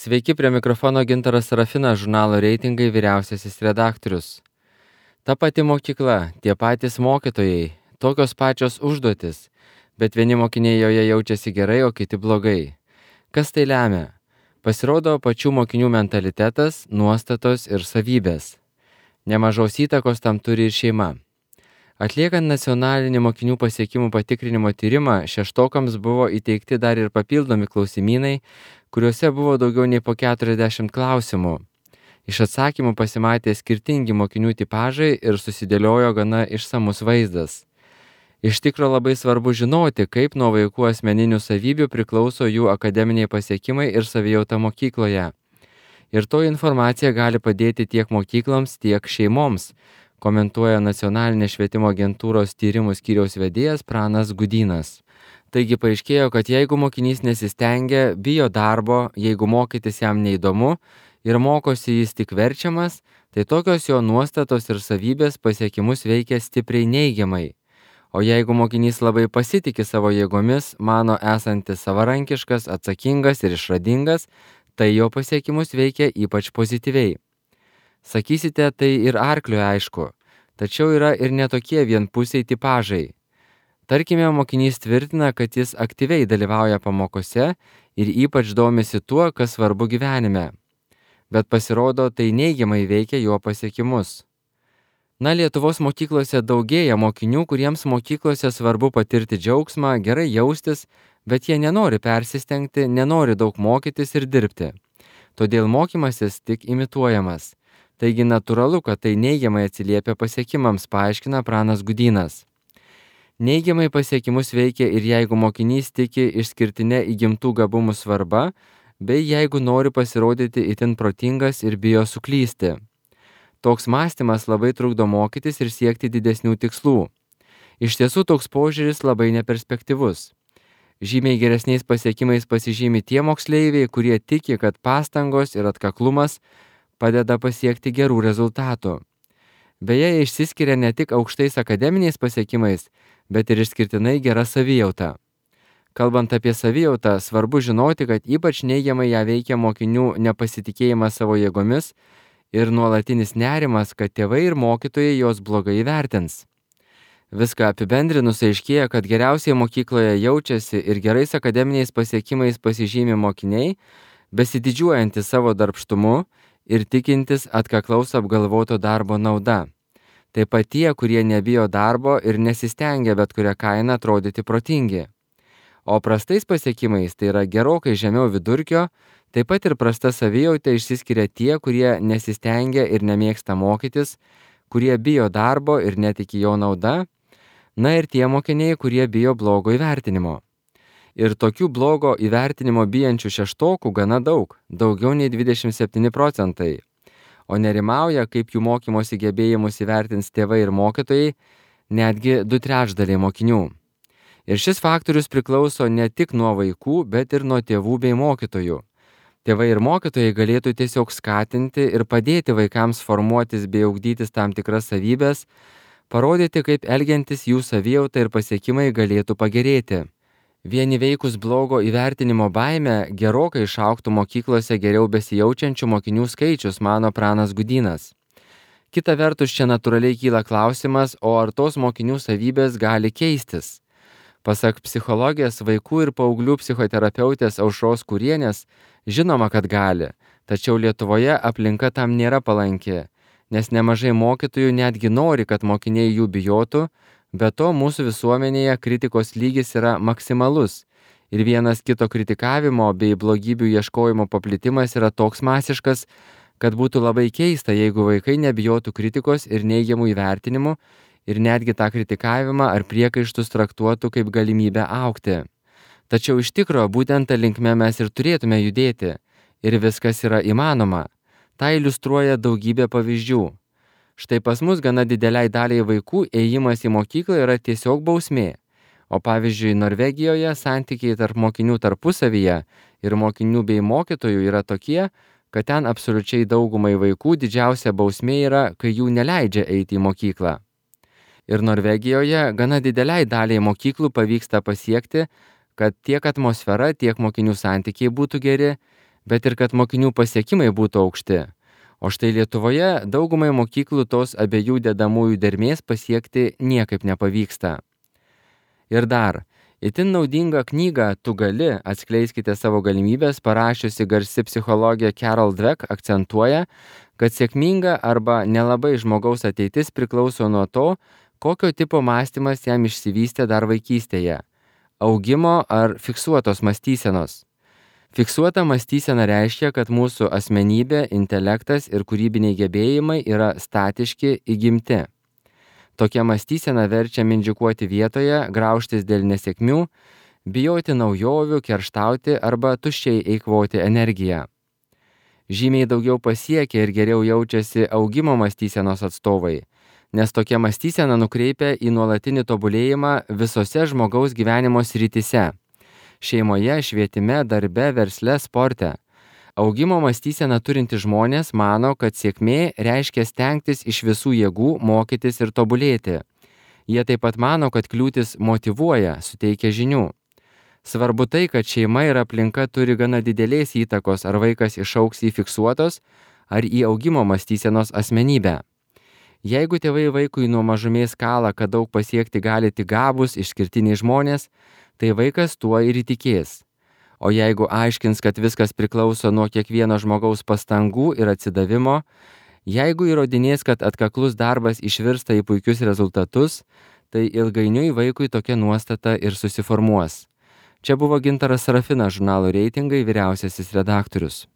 Sveiki, prie mikrofono Gintaras Serafinas, žurnalo Reitingai vyriausiasis redaktorius. Ta pati mokykla, tie patys mokytojai, tokios pačios užduotis, bet vieni mokiniai joje jaučiasi gerai, o kiti blogai. Kas tai lemia? Pasirodo pačių mokinių mentalitetas, nuostatos ir savybės. Nemažos įtakos tam turi ir šeima. Atliekant nacionalinį mokinių pasiekimų patikrinimo tyrimą, šeštokams buvo įteikti dar ir papildomi klausimynai, kuriuose buvo daugiau nei po 40 klausimų. Iš atsakymų pasimatė skirtingi mokinių tipažai ir susidėliojo gana išsamus vaizdas. Iš tikro labai svarbu žinoti, kaip nuo vaikų asmeninių savybių priklauso jų akademiniai pasiekimai ir savijauta mokykloje. Ir to informacija gali padėti tiek mokykloms, tiek šeimoms, komentuoja Nacionalinės švietimo agentūros tyrimų skyriaus vedėjas Pranas Gudynas. Taigi paaiškėjo, kad jeigu mokinys nesistengia, bijo darbo, jeigu mokytis jam neįdomu ir mokosi jis tik verčiamas, tai tokios jo nuostatos ir savybės pasiekimus veikia stipriai neigiamai. O jeigu mokinys labai pasitiki savo jėgomis, mano esantis savarankiškas, atsakingas ir išradingas, tai jo pasiekimus veikia ypač pozityviai. Sakysite, tai ir arkliui aišku, tačiau yra ir netokie vienpusiai tipažai. Tarkime, mokinys tvirtina, kad jis aktyviai dalyvauja pamokose ir ypač domisi tuo, kas svarbu gyvenime. Bet pasirodo, tai neigiamai veikia jo pasiekimus. Lietuvos mokyklose daugėja mokinių, kuriems mokyklose svarbu patirti džiaugsmą, gerai jaustis, bet jie nenori persistengti, nenori daug mokytis ir dirbti. Todėl mokymasis tik imituojamas. Taigi natūralu, kad tai neigiamai atsiliepia pasiekimams, paaiškina Pranas Gudynas. Neigiamai pasiekimus veikia ir jeigu mokinys tiki išskirtinę įgimtų gabumų svarba, bei jeigu nori pasirodyti itin protingas ir bijo suklysti. Toks mąstymas labai trukdo mokytis ir siekti didesnių tikslų. Iš tiesų toks požiūris labai neperspektyvus. Žymiai geresniais pasiekimais pasižymi tie moksleiviai, kurie tiki, kad pastangos ir atkaklumas padeda pasiekti gerų rezultatų. Beje, išsiskiria ne tik aukštais akademiniais pasiekimais, bet ir išskirtinai gera savijauta. Kalbant apie savijautą, svarbu žinoti, kad ypač neigiamai ją veikia mokinių nepasitikėjimas savo jėgomis ir nuolatinis nerimas, kad tėvai ir mokytojai jos blogai įvertins. Viską apibendrinus aiškėja, kad geriausiai mokykloje jaučiasi ir gerais akademiniais pasiekimais pasižymi mokiniai, besididžiuojantys savo darbštumu ir tikintis atkaklaus apgalvoto darbo nauda. Taip pat tie, kurie nebijo darbo ir nesistengia bet kurią kainą atrodyti protingi. O prastais pasiekimais, tai yra gerokai žemiau vidurkio, taip pat ir prasta savijauta išsiskiria tie, kurie nesistengia ir nemėgsta mokytis, kurie bijo darbo ir netiki jo nauda, ir tie mokiniai, kurie bijo blogo įvertinimo. Ir tokių blogo įvertinimo bijančių šeštokų gana daug, daugiau nei 27%. O nerimauja, kaip jų mokymosi gebėjimus įvertins tėvai ir mokytojai, netgi 2/3 mokinių. Ir šis faktorius priklauso ne tik nuo vaikų, bet ir nuo tėvų bei mokytojų. Tėvai ir mokytojai galėtų tiesiog skatinti ir padėti vaikams formuotis bei ugdytis tam tikras savybės, parodyti, kaip elgiantis jų savijauta ir pasiekimai galėtų pagerėti. Vien įveikus blogo įvertinimo baimę gerokai išaugtų mokyklose geriau besijaučiančių mokinių skaičius, mano Pranas Gudynas. Kita vertus, čia natūraliai kyla klausimas, o ar tos mokinių savybės gali keistis? Pasak psichologės, vaikų ir paauglių psichoterapeutės Aušros Kurienės, žinoma, kad gali, tačiau Lietuvoje aplinka tam nėra palanki, nes nemažai mokytojų netgi nori, kad mokiniai jų bijotų, be to mūsų visuomenėje kritikos lygis yra maksimalus ir vienas kito kritikavimo bei blogybių ieškojimo paplitimas yra toks masiškas, kad būtų labai keista, jeigu vaikai nebijotų kritikos ir neigiamų įvertinimų ir netgi tą kritikavimą ar priekaištus traktuotų kaip galimybę augti. Tačiau iš tikro būtent tą linkme mes ir turėtume judėti ir viskas yra įmanoma. Tai iliustruoja daugybė pavyzdžių. Štai pas mus gana dideliai daliai vaikų ėjimas į mokyklą yra tiesiog bausmė. O pavyzdžiui, Norvegijoje santykiai tarp mokinių tarpusavyje ir mokinių bei mokytojų yra tokie, kad ten absoliučiai daugumai vaikų didžiausia bausmė yra, kai jų neleidžia eiti į mokyklą. Ir Norvegijoje gana dideliai daliai mokyklų pavyksta pasiekti, kad tiek atmosfera, tiek mokinių santykiai būtų geri, bet ir kad mokinių pasiekimai būtų aukšti. O štai Lietuvoje daugumai mokyklų tos abiejų dedamųjų dermės pasiekti niekaip nepavyksta. Ir dar, itin naudingą knygą Tu gali, atskleiskite savo galimybės parašiusi garsi psichologė Carol Dweck akcentuoja, kad sėkminga arba nelabai žmogaus ateitis priklauso nuo to, kokio tipo mąstymas jam išsivystė dar vaikystėje – augimo ar fiksuotos mąstysenos. Fiksuota mąstysena reiškia, kad mūsų asmenybė, intelektas ir kūrybiniai gebėjimai yra statiški, įgimti. Tokia mąstysena verčia mindžiukuoti vietoje, graužtis dėl nesėkmių, bijoti naujovių, kerštauti arba tuščiai eikvoti energiją. Žymiai daugiau pasiekia ir geriau jaučiasi augimo mąstysenos atstovai, nes tokia mąstysena nukreipia į nuolatinį tobulėjimą visose žmogaus gyvenimo srityse – šeimoje, švietime, darbe, versle, sporte. Augimo mąstyseną turinti žmonės mano, kad sėkmė reiškia stengtis iš visų jėgų mokytis ir tobulėti. Jie taip pat mano, kad kliūtis motyvuoja, suteikia žinių. Svarbu tai, kad šeima ir aplinka turi gana didelės įtakos, ar vaikas išaugs į fiksuotos ar į augimo mąstysenos asmenybę. Jeigu tėvai vaikui nuo mažumės kala, kad daug pasiekti gali tik gabūs, išskirtiniai žmonės, tai vaikas tuo ir įtikės. O jeigu aiškins, kad viskas priklauso nuo kiekvieno žmogaus pastangų ir atsidavimo, jeigu įrodinės, kad atkaklus darbas išvirsta į puikius rezultatus, tai ilgainiui vaikui tokia nuostata ir susiformuos. Čia buvo Gintaras Sarafinas, žurnalo Reitingai vyriausiasis redaktorius.